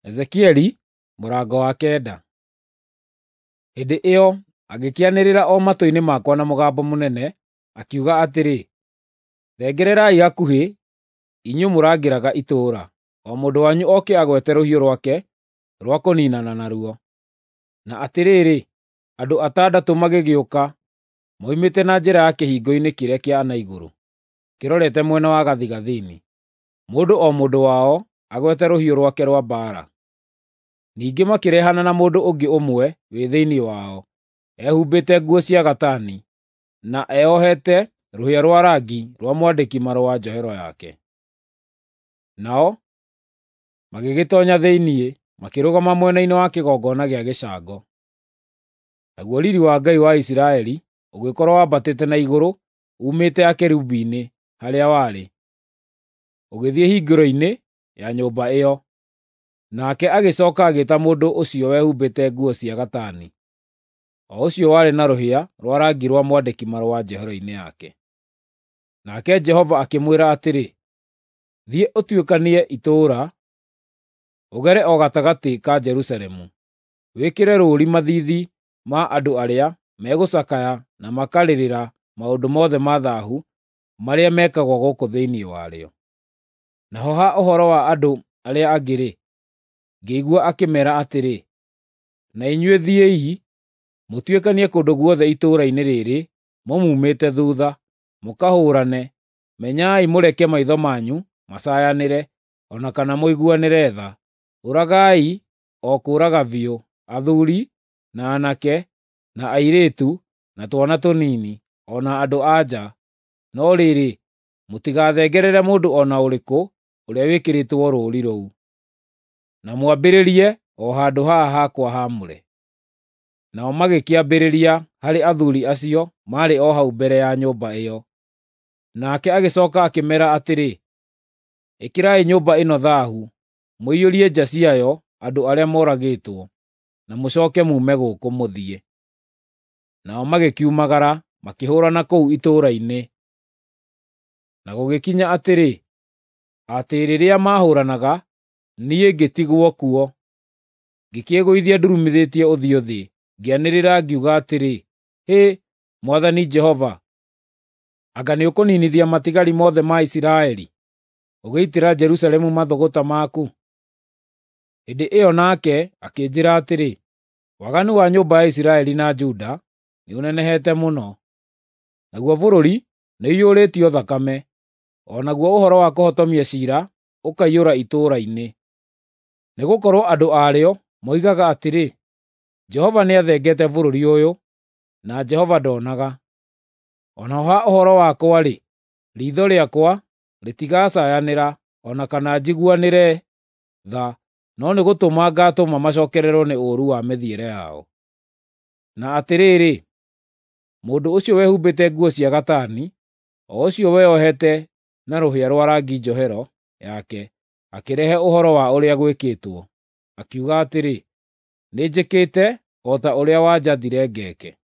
Ezekieli mũrango wa 9. Hĩndĩ ĩyo agĩkĩanĩrĩra o matũ-inĩ makwa na mũgambo mũnene, akiuga atĩrĩ, “Thengererai hakuhĩ, inyuĩ mũrangĩraga itũũra, o mũndũ wanyu oke agwete rũhiũ rwake rwa kũniinana naruo.” Na atĩrĩrĩ, andũ 6 magĩgĩũka moimĩte na njĩra ya kĩhingo-inĩ kĩrĩa kĩa na igũrũ, kĩrorete mwena wa gathigathini, mũndũ o mũndũ wao agwete rũhiũ rwake rwa mbaara. Ningĩ makĩrehana na mũndũ ũngĩ ũmwe wĩ thĩinĩ wao, ehumbĩte nguo cia gatani, na eohete rũhĩa rwa rangi rwa mwandĩki-marũa njohero yake. Nao magĩgĩtoonya thĩinĩ, makĩrũgama mwena-inĩ wa kĩgongona gĩa gĩcango. Naguo riiri wa Ngai wa Isiraeli ũgĩkorwo wambatĩte na igũrũ uumĩte akerubi-inĩ harĩa warĩ, ũgĩthiĩ hingĩro-inĩ ya nyũmba ĩyo. Nake agĩcooka agĩĩta mũndũ ũcio wehumbĩte nguo cia gatani, o ũcio warĩ na rũhĩa rwa rangi rwa mwandĩki-marũa njohero-inĩ yake. Nake Jehova akĩmwĩra atĩrĩ, “Thiĩ ũtuĩkanie itũũra, ũgere o gatagatĩ ka Jerusalemu, wĩkĩre rũũri mathiithi ma andũ arĩa megũcakaya na makarĩrĩra maũndũ mothe ma thaahu marĩa mekagwo gũkũ thĩinĩ warĩo.” Naho ha ũhoro wa andũ arĩa angĩ-rĩ, ngĩigua akĩmeera atĩrĩ, “Na inyuĩ thiĩi, mũtuĩkanie kũndũ guothe itũũra-inĩ rĩĩrĩ mũmuumĩte thuutha, mũkahũũrane. Menyai mũreke maitho manyu macaayanĩre, o na kana mũiguanĩre tha. Ũragai o kũũraga biũ, athuuri, na aanake, na airĩtu, na twana tũnini, o na andũ-a-nja. No rĩrĩ, mũtigathengerere mũndũ o na ũrĩkũ ũrĩa wĩkĩrĩtwo rũũri rũu. Na mwambĩrĩrie o handũ haha hakwa haamũre.” Nao magĩkĩambĩrĩria harĩ athuuri acio maarĩ o hau mbere ya nyũmba ĩyo. Nake agĩcooka akĩmeera atĩrĩ, “Ĩkĩrai nyũmba ĩno thaahu, mũiyũrie nja ciayo andũ arĩa moragĩtwo, na mũcooke muume gũkũ, mũthiĩ.” Nao magĩkiumagara, makĩhũũrana kũu itũũra-inĩ. Na gũgĩkinya atĩrĩ, atĩ rĩrĩa maahũũranaga, niĩ ngĩtigwo kuo. Ngĩkĩĩgũithia ndurumithĩtie ũthiũ thĩ, ngĩanĩrĩra ngiuga atĩrĩ, “Hĩ, Mwathani Jehova! Anga nĩũkũniinithia matigari mothe ma Isiraeli, ũgĩitĩra Jerusalemu mathũgũta maku?” Hĩndĩ ĩyo nake akĩnjĩĩra atĩrĩ, “Waganu wa nyũmba ya Isiraeli na Juda nĩũnenehete mũno, naguo bũrũri nĩũiyũrĩtio thakame, o naguo ũhoro wa kũhotomia ciira ũkaiyũra itũũra-inĩ. Nĩgũkorwo andũ aarĩo moigaga atĩrĩ, ‘Jehova nĩathengete bũrũri ũyũ, na Jehova ndonaga.’ O naho ha ũhoro wakwa-rĩ, riitho rĩakwa rĩtigacaayanĩra o na kana njiguanĩre tha, no nĩgũtũma ngaatũma macookererwo nĩ ũũru wa mĩthiĩre yao.” Na atĩrĩrĩ, mũndũ ũcio wehumbĩte nguo cia gatani, o ũcio weyohete na rũhĩa rwa rangi njohero yake, akĩrehe ũhoro wa ũrĩa gwĩkĩtwo, akiuga atĩrĩ, “Nĩnjĩkĩte o ta ũrĩa wanjathire ngeeke.”